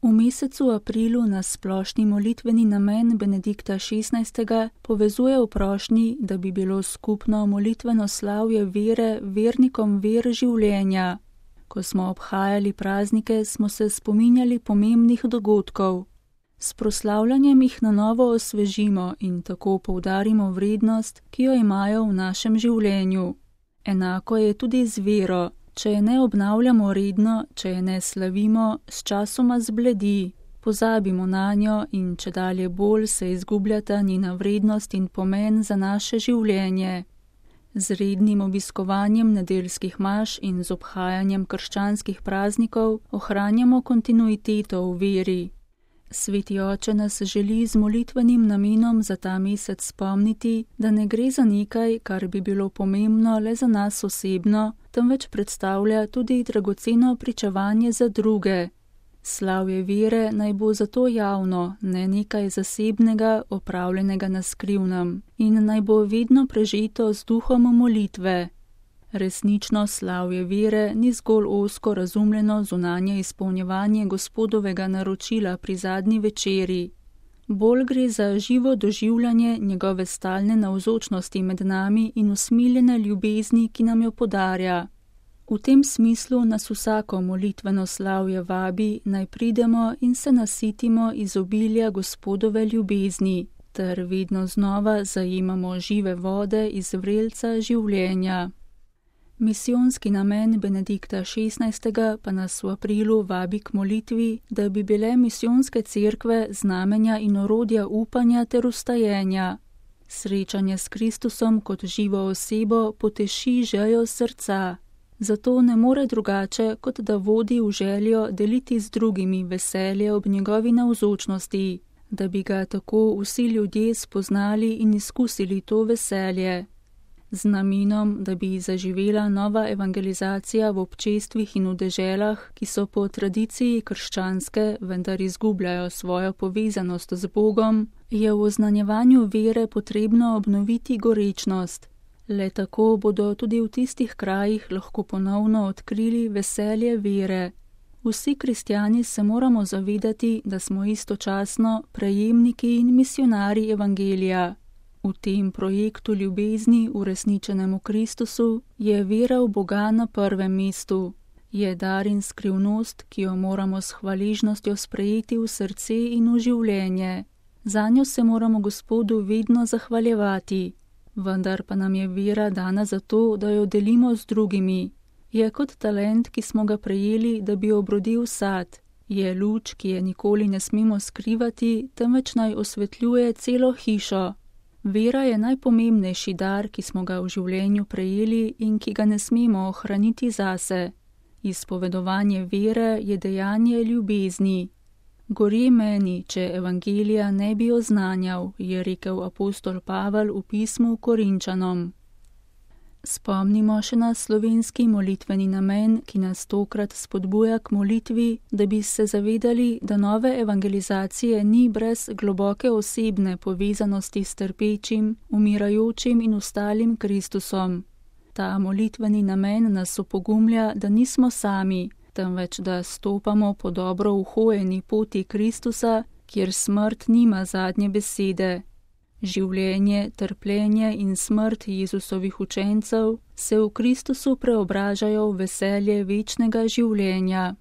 V mesecu aprilu nas splošni molitveni namen Benedikta XVI. Povezuje v prošnji, da bi bilo skupno molitveno slavje vere vernikom ver življenja. Ko smo obhajali praznike, smo se spominjali pomembnih dogodkov. S proslavljanjem jih na novo osvežimo in tako poudarimo vrednost, ki jo imajo v našem življenju. Enako je tudi z vero. Če je ne obnavljamo redno, če je ne slavimo, sčasoma zbledi, pozabimo nanjo in čedalje bolj se izgubljata njena vrednost in pomen za naše življenje. Z rednim obiskovanjem nedeljskih maš in z obhajanjem krščanskih praznikov ohranjamo kontinuiteto v veri. Sveti oče nas želi z molitvenim namenom za ta mesec spomniti, da ne gre za nekaj, kar bi bilo pomembno le za nas osebno, temveč predstavlja tudi dragoceno pričevanje za druge. Slavje vere naj bo zato javno, ne nekaj zasebnega, opravljenega na skrivnem, in naj bo vedno prežeto z duhom molitve. Resnično slavje vere ni zgolj ozko razumljeno zunanje izpolnjevanje Gospodovega naročila pri zadnji večeri. Bolj gre za živo doživljanje njegove stalne navzočnosti med nami in usmiljene ljubezni, ki nam jo podarja. V tem smislu nas vsako molitveno slavje vabi, naj pridemo in se nasitimo iz obilja Gospodove ljubezni, ter vedno znova zajemamo žive vode iz vrelca življenja. Misijonski namen Benedikta XVI. Pa nas v aprilu vabi k molitvi, da bi bile misijonske cerkve znamenja in orodja upanja ter ustajenja. Srečanje s Kristusom kot živo osebo poteši željo srca. Zato ne more drugače, kot da vodi v željo deliti z drugimi veselje ob njegovi navzočnosti, da bi ga tako vsi ljudje spoznali in izkusili to veselje. Z namenom, da bi zaživela nova evangelizacija v občestvih in v deželah, ki so po tradiciji krščanske, vendar izgubljajo svojo povezanost z Bogom, je v oznanjevanju vere potrebno obnoviti gorečnost. Le tako bodo tudi v tistih krajih lahko ponovno odkrili veselje vere. Vsi kristjani se moramo zavedati, da smo istočasno prejemniki in misionarji evangelija. V tem projektu ljubezni uresničenem v Kristusu je vera v Boga na prvem mestu. Je dar in skrivnost, ki jo moramo s hvaležnostjo sprejeti v srce in v življenje. Zanjo se moramo Gospodu vedno zahvaljevati. Vendar pa nam je vera dana zato, da jo delimo z drugimi. Je kot talent, ki smo ga prejeli, da bi obrodil sad. Je luč, ki je nikoli ne smemo skrivati, temveč naj osvetljuje celo hišo. Vera je najpomembnejši dar, ki smo ga v življenju prejeli in ki ga ne smemo ohraniti zase. Izpovedovanje vere je dejanje ljubezni. Gori meni, če evangelija ne bi oznanjal, je rekel apostol Pavel v pismu Korinčanom. Spomnimo še na slovenski molitveni namen, ki nas tokrat spodbuja k molitvi, da bi se zavedali, da nove evangelizacije ni brez globoke osebne povezanosti s trpečim, umirajočim in ostalim Kristusom. Ta molitveni namen nas opogumlja, da nismo sami, temveč da stopamo po dobro uhojeni poti Kristusa, kjer smrt nima zadnje besede. Življenje, trpljenje in smrt Jezusovih učencev se v Kristusu preobražajo v veselje večnega življenja.